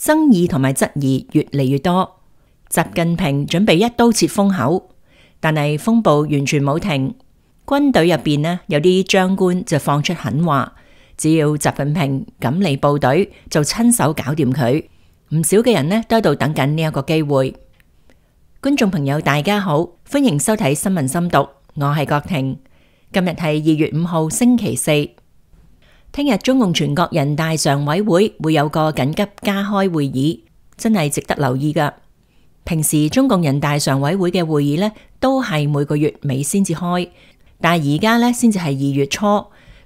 爭議同埋質疑越嚟越多。習近平準備一刀切封口，但係風暴完全冇停。軍隊入邊呢，有啲將官就放出狠話，只要習近平敢嚟部隊，就親手搞掂佢。唔少嘅人呢都喺度等緊呢一個機會。觀眾朋友大家好，歡迎收睇新聞深讀，我係郭婷。今日係2月5號星期四。聽日中共全國人大常委會會有個緊急加開會議，真係值得留意噶。平時中共人大常委會嘅會議呢，都係每個月尾先至開，但係而家呢，先至係2月初，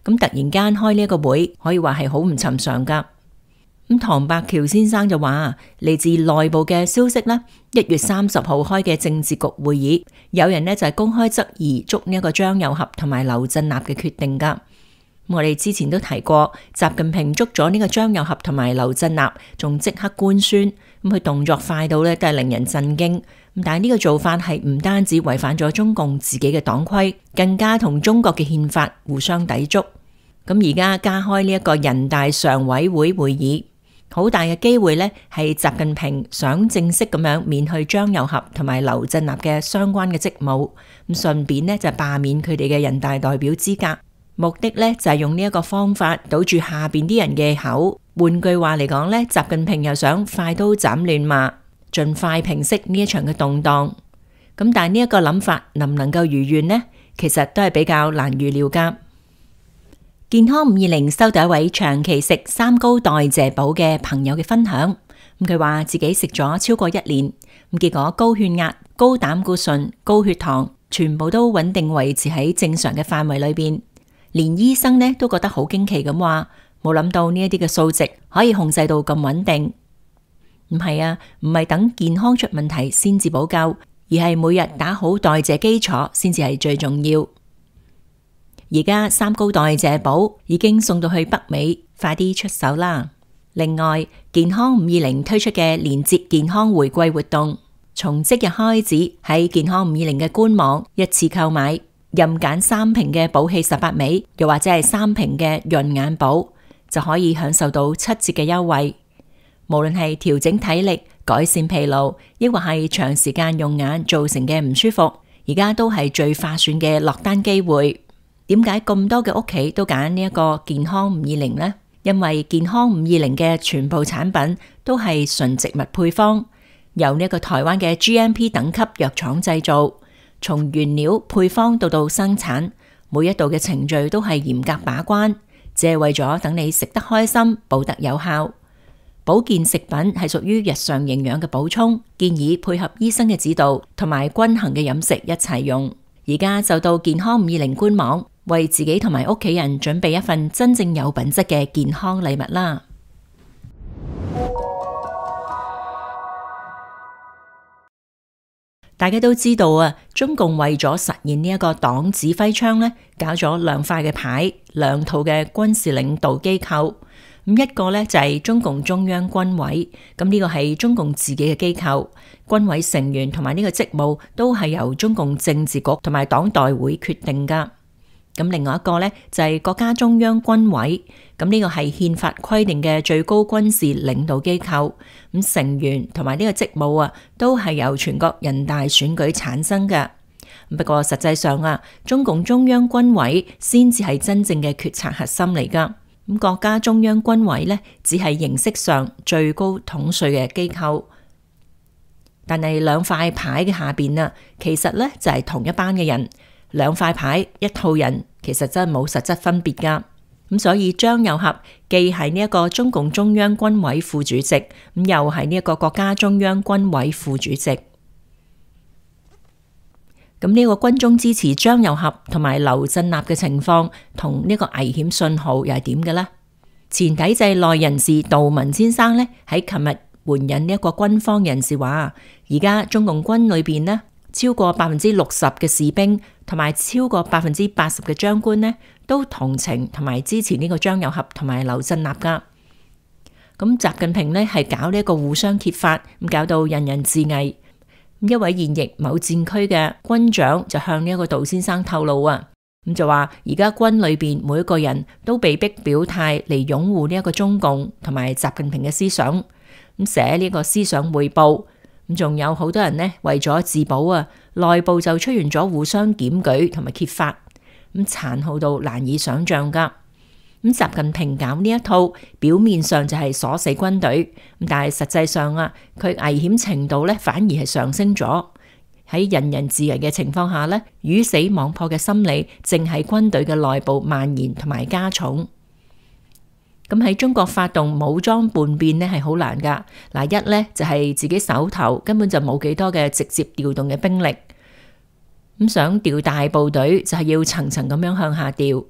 咁突然間開呢一個會，可以話係好唔尋常噶。咁唐伯橋先生就話，嚟自內部嘅消息呢，1月30號開嘅政治局會議，有人呢就係公開質疑捉呢一個張又俠同埋劉振立嘅決定噶。我哋之前都提過，習近平捉咗呢個張又俠同埋劉振立，仲即刻官宣，咁佢動作快到呢都係令人震驚。但係呢個做法係唔單止違反咗中共自己嘅黨規，更加同中國嘅憲法互相抵觸。咁而家加開呢一個人大常委會會議，好大嘅機會呢係習近平想正式咁樣免去張又俠同埋劉振立嘅相關嘅職務，咁順便呢就罷免佢哋嘅人大代表資格。目的呢就係用呢一個方法堵住下邊啲人嘅口。換句話嚟講呢，習近平又想快刀斬亂麻，盡快平息呢一場嘅動盪。咁但係呢一個諗法能唔能夠如願呢？其實都係比較難預料噶。健康520收到一位長期食三高代謝寶嘅朋友嘅分享。佢話自己食咗超過1年，結果高血壓、高膽固醇、高血糖全部都穩定維持喺正常嘅範圍裏邊。連醫生呢都覺得好驚奇咁話，冇諗到呢一啲嘅數值可以控制到咁穩定。唔係啊，唔係等健康出問題先至補救，而係每日打好代謝基礎先至係最重要。而家三高代謝寶已經送到去北美，快啲出手啦！另外，健康520推出嘅連結健康回饋活動，從即日開始喺健康520嘅官網一次購買，任揀3瓶嘅寶氣18味，又或者係3瓶嘅潤眼寶，就可以享受到7折嘅優惠。無論係調整體力、改善疲勞，抑或係長時間用眼造成嘅唔舒服，而家都係最划算嘅落單機會。點解咁多嘅屋企都揀呢一個健康520呢？因為健康520嘅全部產品都係純植物配方，由呢一個台灣嘅 GMP 等級藥廠製造。從原料配方到生產，每一道嘅程序都係嚴格把關，只係為咗等你食得開心，補得有效。保健食品係屬於日常營養嘅補充，建議配合醫生嘅指導同埋均衡嘅飲食一齊用。而家就到健康520官網，為自己同埋屋企人準備一份真正有品質嘅健康禮物啦！大家都知道啊，中共為咗實現呢一個黨指揮窗呢，搞咗2塊嘅牌，2套嘅軍事領導機構。咁一個呢就係中共中央軍委，咁呢個係中共自己嘅機構，軍委成員同埋呢個職務都係由中共政治局同埋黨代會決定噶。咁另外一個呢就係國家中央軍委，咁呢個係憲法規定嘅最高軍事領導機構，咁成員同埋呢個職務啊都係由全國人大選舉產生嘅。不過實際上啊，中共中央軍委先至係真正嘅決策核心嚟噶。咁國家中央軍委呢只係形式上最高統帥嘅機構，但係2塊牌嘅下邊啊，其實呢就係同一班嘅人。2塊牌一套人，其實真係冇實質分別噶。咁所以張又俠既係呢一個中共中央軍委副主席，咁又係呢一個國家中央軍委副主席。咁呢個軍中支持張又俠同埋劉振立嘅情況，同呢個危險信號又係點嘅呢？前體制內人士杜文先生呢，喺琴日援引呢一個軍方人士話，而家中共軍裏邊呢，超過60%嘅士兵同埋超過80%嘅將官呢，都同情同埋支持呢個張又俠同埋劉振立噶。咁習近平呢係搞呢一個互相揭發，咁搞到人人自危。一位現役某戰區嘅軍長就向呢一個杜先生透露啊，咁就話而家軍裏邊每一個人都被逼表態嚟擁護呢一個中共同埋習近平嘅思想。咁寫呢個思想匯報。咁仲有好多人呢，為咗自保啊，內部就出現咗互相檢舉同埋揭發，咁殘酷到難以想象噶。咁習近平搞呢一套，表面上就係鎖死軍隊，但係實際上啊，佢危險程度咧反而係上升咗。喺人人自危嘅情況下咧，魚死網破嘅心理正喺軍隊嘅內部蔓延同埋加重。咁喺中國發動武裝叛變呢係好難噶。嗱，一呢就係自己手頭根本就冇幾多嘅直接調動嘅兵力，咁想調大部隊就係要層層咁樣向下調。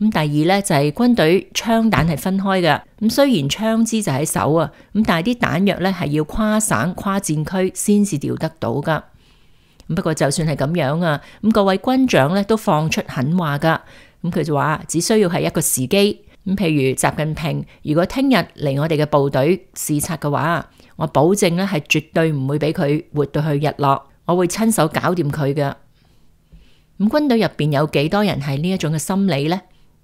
咁第二呢就係軍隊槍彈係分開嘅，咁雖然槍支就喺手啊，咁但係啲彈藥呢係要跨省跨戰區先至調得到噶。不過就算係咁樣啊，咁各位軍長呢都放出狠話噶，咁佢就話只需要係一個時機。咁譬如習近平如果聽日嚟我哋嘅部隊視察嘅話，我保證咧係絕對唔會俾佢活到去日落，我會親手搞掂佢嘅。咁軍隊入邊有幾多人係呢一種嘅心理呢？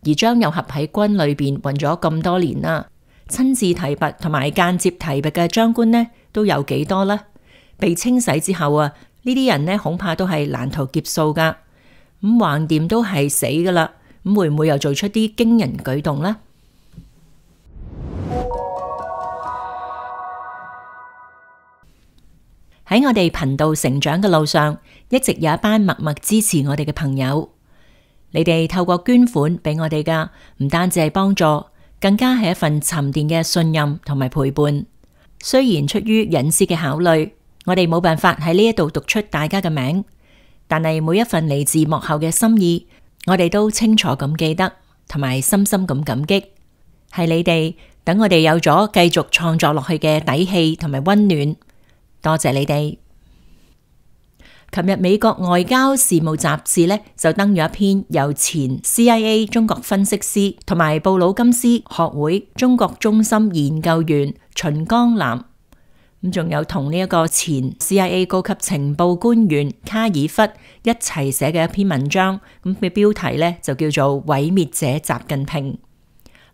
而張又俠喺軍裏邊混咗咁多年啦，親自提拔同埋間接提拔嘅將官呢都有幾多呢？被清洗之後啊，呢啲人呢恐怕都係難逃劫數噶。咁橫掂都係死噶啦。咁會唔會又做出啲驚人舉動呢？喺我哋頻道成長嘅路上，一直有一班默默支持我哋嘅朋友。你哋透過捐款俾我哋噶，唔單止係幫助，更加係一份沉澱嘅信任同埋陪伴。雖然出於隱私嘅考慮，我哋冇辦法喺呢一度讀出大家嘅名，但係每一份嚟自幕後嘅心意，我哋都清楚咁記得，同埋深深咁感激。係你哋等我哋有咗繼續創作落去嘅底氣同埋溫暖，多謝你哋。琴日美國外交事務雜誌呢就登咗一篇由前 CIA 中國分析師同埋布魯金斯學會中國中心研究員秦江南，咁仲有同呢一個前 CIA 高級情報官員卡爾弗一齊寫嘅一篇文章，咁嘅標題呢就叫做《毀滅者習近平》。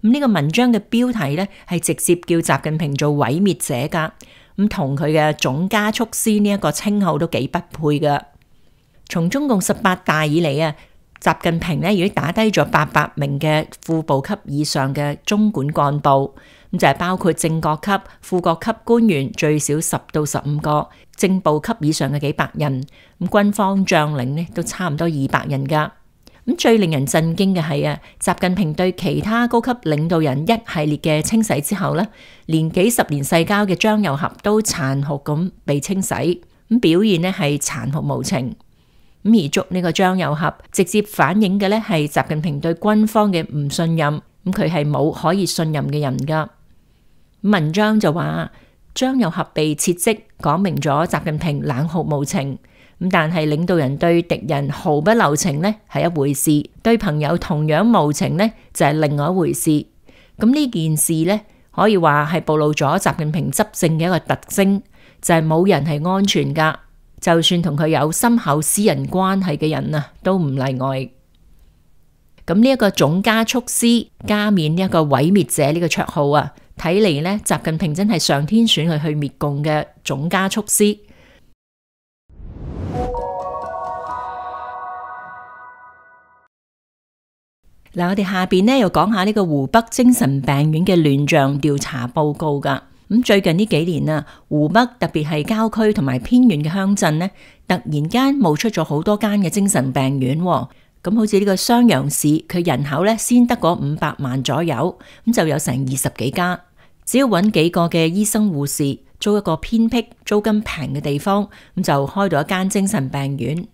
咁呢個文章嘅標題呢係直接叫習近平做毀滅者噶，咁同佢嘅總加速師呢一個稱號都幾不配噶。從中共18大以嚟啊，習近平呢已經打低咗800名嘅副部級以上嘅中管幹部。咁就係包括正國級、副國級官員最少10到15個，正部級以上嘅幾百人，咁軍方將領呢都差唔多200人噶。咁最令人震驚嘅係啊，習近平對其他高級領導人一系列嘅清洗之後呢，連幾十年世交嘅張又俠都殘酷咁被清洗，咁表現呢係殘酷無情。咁而捉呢個張又俠，直接反映嘅呢係習近平對軍方嘅唔信任，咁佢係冇可以信任嘅人噶。文章就話張又俠被撤職，講明咗習近平冷酷無情。咁但係領導人對敵人毫不留情呢係一回事，對朋友同樣無情呢就係另外一回事。咁呢件事呢可以話係暴露咗習近平執政嘅一個特徵，就係冇人係安全噶，就算同佢有深厚私人關係嘅人啊都唔例外。咁呢一個總加速師加冕呢一個毀滅者呢個綽號啊，睇嚟呢習近平真係上天選佢去滅共嘅總加速師。嗱，我哋下邊呢又講下呢個湖北精神病院嘅亂象調查報告噶。咁最近呢幾年啊，湖北特別係郊區同埋偏遠嘅鄉鎮呢，突然間冒出咗好多間嘅精神病院。咁好似呢個襄陽市，佢人口呢先得嗰500萬左右，咁就有成20幾家。只要揾幾個嘅醫生護士，租一個偏僻、租金平嘅地方，咁就開到一間精神病院。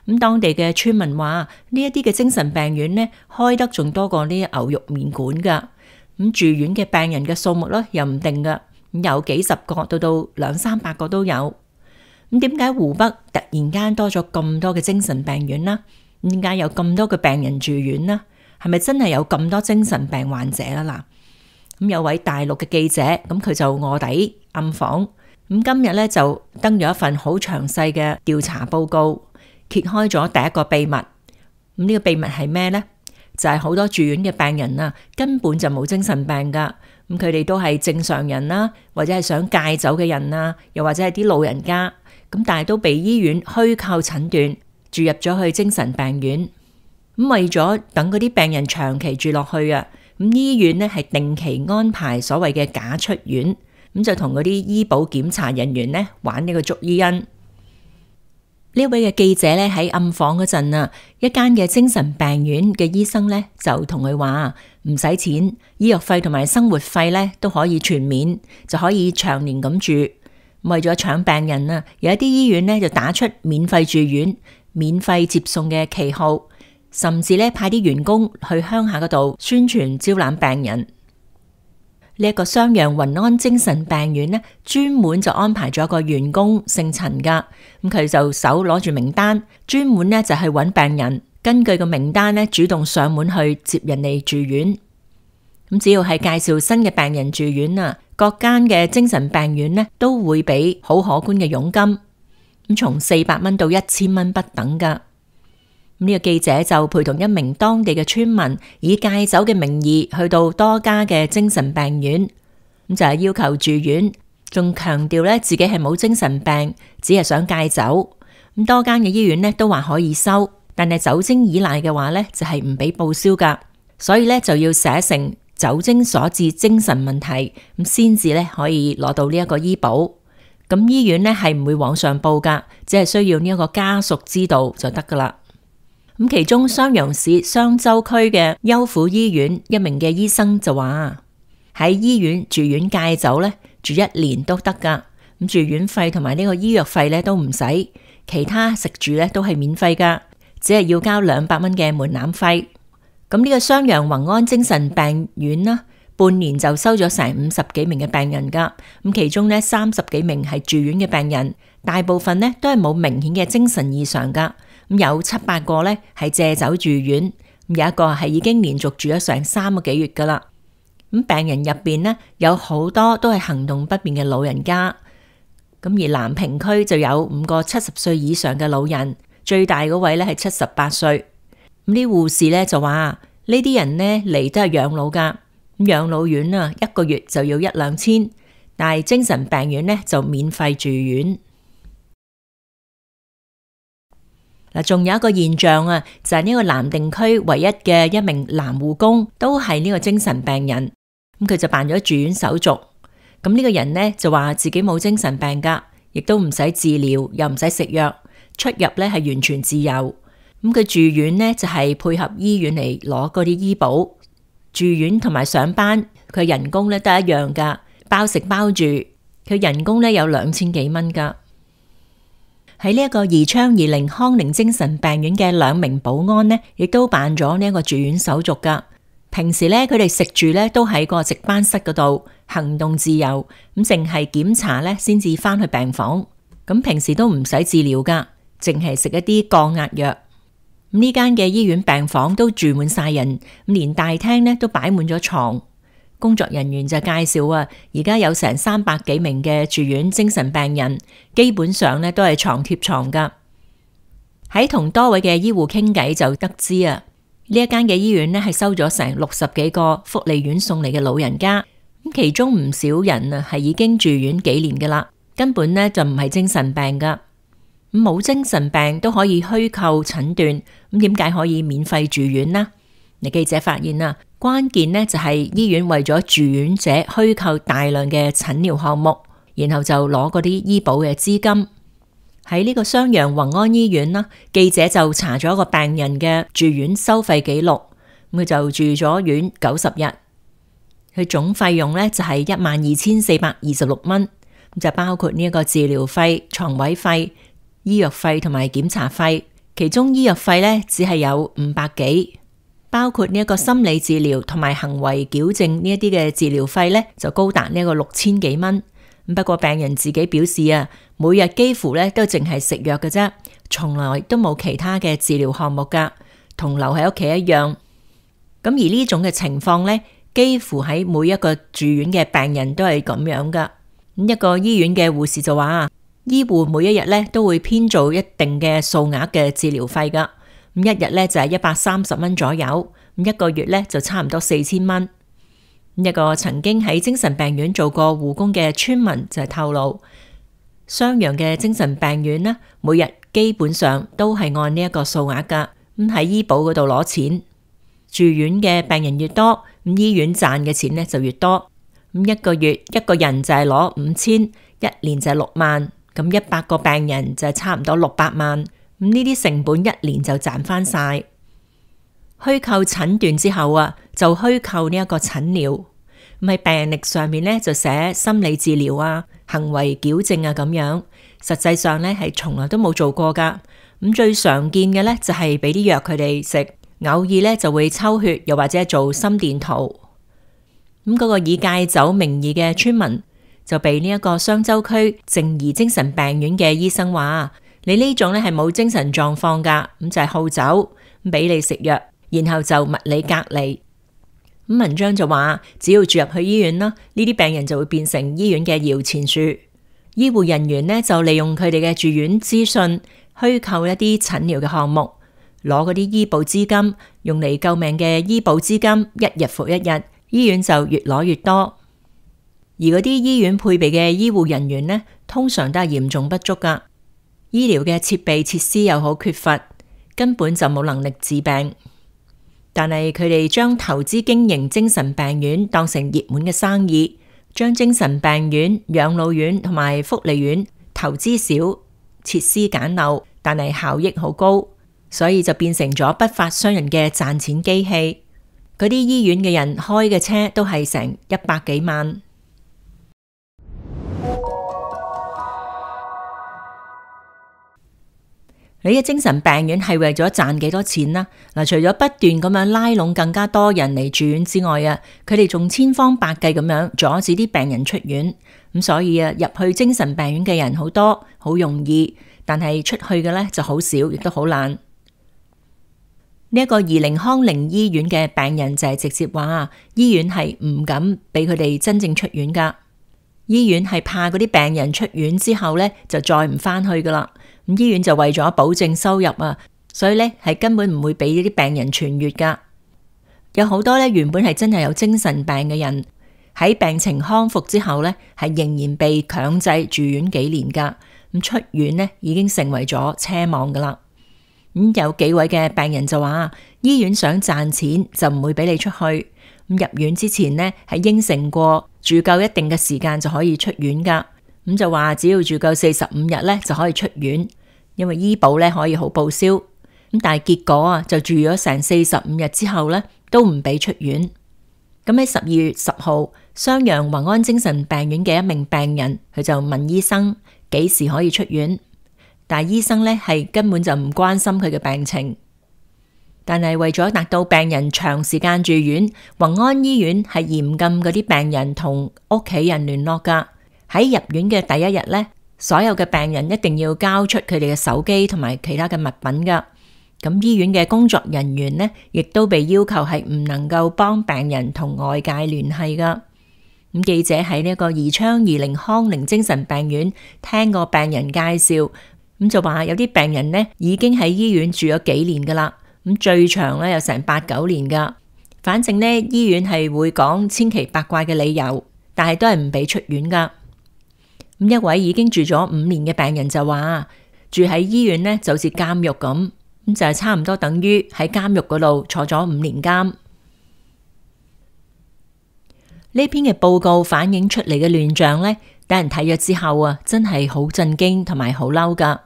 咁當地嘅村民話，呢一啲嘅精神病院呢，開得仲多過呢啲牛肉麵館噶。咁住院嘅病人嘅數目呢，又唔定噶，有幾十個到200-300個都有。咁點解湖北突然間多咗咁多嘅精神病院呢？點解有咁多嘅病人住院呢？係咪真係有咁多精神病患者啦？嗱，咁有位大陸嘅記者，咁佢就臥底暗訪，咁今日呢，就登咗一份好詳細嘅調查報告。揭開咗第一個秘密，咁呢個秘密係咩呢？就係好多住院嘅病人啊，根本就冇精神病噶，咁佢哋都係正常人啦，或者係想戒酒嘅人啊，又或者係啲老人家，咁但係都被醫院虛構診斷住入咗去精神病院。咁為咗等嗰啲病人長期住落去啊，咁醫院呢係定期安排所謂嘅假出院，咁就同嗰啲醫保檢查人員呢玩呢個捉伊人。呢位嘅記者呢喺暗訪嗰陣啊，一間嘅精神病院嘅醫生呢就同佢話唔使錢，醫藥費同埋生活費呢都可以全免，就可以長年咁住。為咗搶病人啊，有一啲醫院呢就打出免費住院、免費接送嘅旗號，甚至呢派啲員工去鄉下嗰度宣傳招攬病人。呢一個襄陽雲安精神病院呢，專門就安排咗個員工姓陳噶，咁佢就手攞住名單，專門呢就去揾病人，根據個名單呢主動上門去接人哋住院。咁只要係介紹新嘅病人住院啊，各間嘅精神病院呢都會俾好可觀嘅佣金，咁從400蚊到1000蚊不等噶。呢個記者就陪同一名當地嘅村民，以戒酒嘅名義去到多家嘅精神病院，咁就係要求住院，仲強調咧自己係冇精神病，只係想戒酒。咁多間嘅醫院咧都話可以收，但係酒精依賴嘅話咧就係唔俾報銷噶，所以咧就要寫成酒精所致精神問題，咁先至咧可以攞到呢一個醫保。咁醫院咧係唔會往上報噶，只係需要呢一個家屬知道就得噶啦。咁其中襄陽市商州區嘅優婦醫院一名嘅醫生就話喺醫院住院戒酒咧，住1年都得噶。咁住院費同埋呢個醫藥費咧都唔使，其他食住咧都係免費噶，只係要交200蚊嘅門檻費。咁呢個襄陽雲安精神病院啦，半年就收咗成50幾名嘅病人噶。咁其中呢30幾名係住院嘅病人，大部分呢都係冇明顯嘅精神異常噶。咁有7-8個呢係借酒住院，有一個係已經連續住咗成3個幾月噶啦。咁病人入邊呢有好多都係行動不便嘅老人家。咁而南平區就有5個70歲以上嘅老人，最大嗰位呢係78歲。咁啲護士呢就話呢啲人呢嚟都係養老噶，咁養老院啊1個月就要1-2千，但係精神病院呢就免費住院。嗱，仲有一個現象啊，就係呢個南定區唯一嘅一名男護工都係呢個精神病人，咁佢就辦咗住院手續。咁呢個人呢就話自己冇精神病噶，亦都唔使治療，又唔使食藥，出入呢係完全自由。咁佢住院呢就係配合醫院嚟攞嗰啲醫保，住院同埋上班佢人工呢都一樣噶，包食包住，佢人工呢有2000幾蚊噶。喺呢一個宜昌宜寧康寧精神病院嘅2名保安呢，亦都辦咗呢一個住院手續噶。平時呢，佢哋食住呢都喺個值班室嗰度，行動自由，咁淨係檢查呢先至翻去病房。咁平時都唔使治療噶，淨係食一啲降壓藥。咁呢間嘅醫院病房都住滿晒人，咁連大廳呢都擺滿咗床。工作人員就介紹啊，而家有成300幾名嘅住院精神病人，基本上呢都係床貼床噶。喺同多位嘅醫護傾偈就得知啊，呢一間嘅醫院呢係收咗成60幾個福利院送嚟嘅老人家，咁其中唔少人啊係已經住院幾年噶啦，根本呢就唔係精神病噶。冇精神病都可以虛構診斷，咁點解可以免費住院呢？你記者發現啊，關鍵呢就係醫院為咗住院者虛構大量嘅診療項目，然後就攞嗰啲醫保嘅資金。喺呢個襄陽雲安醫院啦，記者就查咗個病人嘅住院收費記錄，佢就住咗院90日，佢總費用呢就係12426蚊，就包括呢一個治療費、床位費、醫藥費同埋檢查費，其中醫藥費呢只係有500幾。包括呢一個心理治療同埋行為矯正呢一啲嘅治療費呢，就高達呢一個6000幾蚊。不過病人自己表示啊，每日幾乎呢都淨係食藥嘅啫，從來都冇其他嘅治療項目噶，同留喺屋企一樣。咁而呢種嘅情況呢，幾乎喺每一個住院嘅病人都係咁樣噶。一個醫院嘅護士就話，醫護每一日呢都會編做一定嘅數額嘅治療費噶。一日呢就係130蚊左右，一個月呢就差唔多4000蚊。一個曾經喺精神病院做過護工嘅村民就透露，襄陽嘅精神病院呢，每日基本上都係按呢一個數額噶，咁喺醫保嗰度攞錢。住院嘅病人越多，咁醫院賺嘅錢呢就越多。咁一個月一個人就係攞5000，一年就係6萬，咁100個病人就係差唔多600萬。咁呢啲成本一年就賺翻晒。虛構診斷之後啊，就虛構呢一個診療。咁喺病歷上面呢，就寫心理治療啊、行為矯正啊咁樣，實際上呢，係從來都冇做過噶。咁最常見嘅呢，就係俾啲藥佢哋食，偶爾呢就會抽血，又或者做心電圖。咁嗰個以戒酒名義嘅村民就被呢一個雙州區靜宜精神病院嘅醫生話：你呢種呢係冇精神狀況噶，咁就係好酒，俾你食藥，然後就物理隔離。咁文章就話，只要住入去醫院啦，呢啲病人就會變成醫院嘅搖錢樹。醫護人員呢就利用佢哋嘅住院資訊，虛構一啲診療嘅項目，攞嗰啲醫保資金，用嚟救命嘅醫保資金，一日復一日，醫院就越攞越多。而嗰啲醫院配備嘅醫護人員呢，通常都係嚴重不足噶，醫療嘅設備設施又好缺乏，根本就冇能力治病。但係佢哋將投資經營精神病院當成熱門嘅生意，將精神病院、養老院同埋福利院投資少、設施簡陋，但係效益好高，所以就變成咗不法商人嘅賺錢機器。嗰啲醫院嘅人開嘅車都係成100幾萬。你嘅精神病院係為咗賺幾多錢啦？嗱，除咗不斷咁樣拉攏更加多人嚟住院之外啊，佢哋仲千方百計咁樣阻止啲病人出院。咁所以啊，入去精神病院嘅人好多，好容易，但係出去嘅呢就好少，亦都好難。呢一個宜寧康寧醫院嘅病人就係直接話，醫院係唔敢俾佢哋真正出院噶。醫院係怕嗰啲病人出院之後呢，就再唔翻去噶啦。咁醫院就為咗保證收入啊，所以呢係根本唔會俾呢啲病人痊癒噶。有好多呢原本係真係有精神病嘅人，喺病情康復之後呢，係仍然被強制住院幾年噶。咁出院呢已經成為咗奢望噶啦。咁有幾位嘅病人就話，醫院想賺錢就唔會俾你出去。咁入院之前呢係應承過住夠一定嘅時間就可以出院噶。咁就話只要住夠45日呢就可以出院，因為醫保呢可以好報銷。咁但係結果啊，就住咗成45日之後呢都唔俾出院。咁喺12月10號，襄陽宏安精神病院嘅一名病人，佢就問醫生幾時可以出院，但係醫生呢係根本就唔關心佢嘅病情。但係為咗達到病人長時間住院，宏安醫院係嚴禁嗰啲病人同屋企人聯絡噶。喺入院嘅第一日呢，所有嘅病人一定要交出佢哋嘅手機同埋其他嘅物品噶。咁醫院嘅工作人員呢，亦都被要求係唔能夠幫病人同外界聯繫噶。咁記者喺呢個宜昌宜寧康寧精神病院聽過病人介紹，咁就話有啲病人呢已經喺醫院住咗幾年噶啦。咁最長呢有成8、9年噶。反正呢醫院係會講千奇百怪嘅理由，但係都係唔俾出院噶。咁一位已經住咗5年嘅病人就話，住喺醫院呢就好似監獄咁，咁就係差唔多等於喺監獄嗰度坐咗5年監。呢篇嘅報告反映出嚟嘅亂象呢，等人睇咗之後啊，真係好震驚同埋好嬲噶。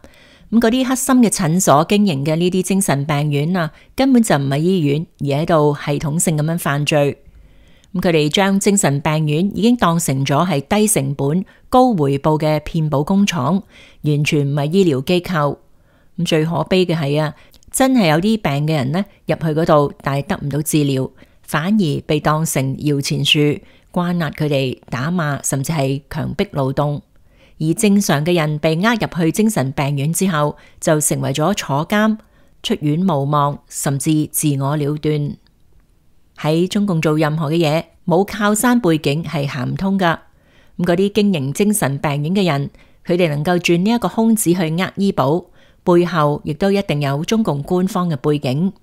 咁嗰啲黑心嘅診所經營嘅呢啲精神病院啊，根本就唔係醫院，而喺度系統性咁樣犯罪。咁佢哋將精神病院已經當成咗係低成本、高回報嘅騙保工廠，完全唔係醫療機構。咁最可悲嘅係啊，真係有啲病嘅人呢入去嗰度，但係得唔到治療，反而被當成搖錢樹，關押佢哋、打罵，甚至係強迫勞動。而正常嘅人被呃入去精神病院之後，就成為咗坐監、出院無望，甚至自我了斷。喺中共做任何嘅嘢，冇靠山背景係行唔通噶。咁嗰啲經營精神病院嘅人，佢哋能夠鑽呢一個空子去呃醫保，背後亦都一定有中共官方嘅背景。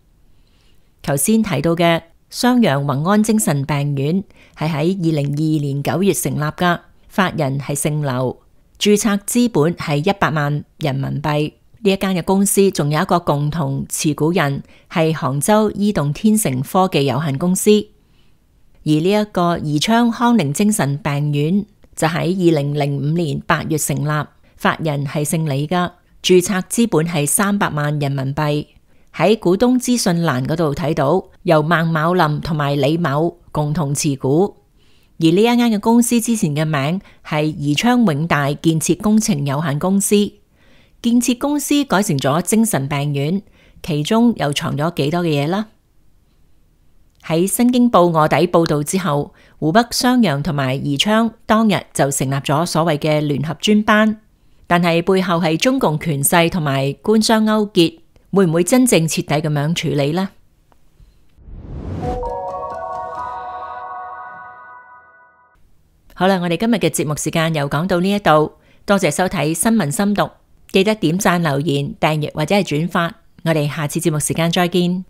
頭先提到嘅襄陽宏安精神病院係喺2022年9月成立㗎，法人係姓劉，註冊資本係100萬人民幣。呢一間嘅公司仲有一個共同持股人係杭州伊動天成科技有限公司。而呢一個宜昌康寧精神病院就喺2005年8月成立，法人係姓李㗎，註冊資本係300萬人民幣。喺股東資訊欄嗰度睇到，由孟某林同埋李某共同持股。而呢一間嘅公司之前嘅名係宜昌永大建設工程有限公司，建設公司改成咗精神病院，其中又藏咗幾多嘅嘢啦？喺新京報臥底報道之後，湖北襄陽同埋宜昌當日就成立咗所謂嘅聯合專班，但係背後係中共權勢同埋官商勾結，會唔會真正徹底咁樣處理呢？好啦，我哋今日嘅節目時間又講到呢一度，多謝收睇新聞深讀，記得點讚、留言、訂閱或者係轉發，我哋下次節目時間再見。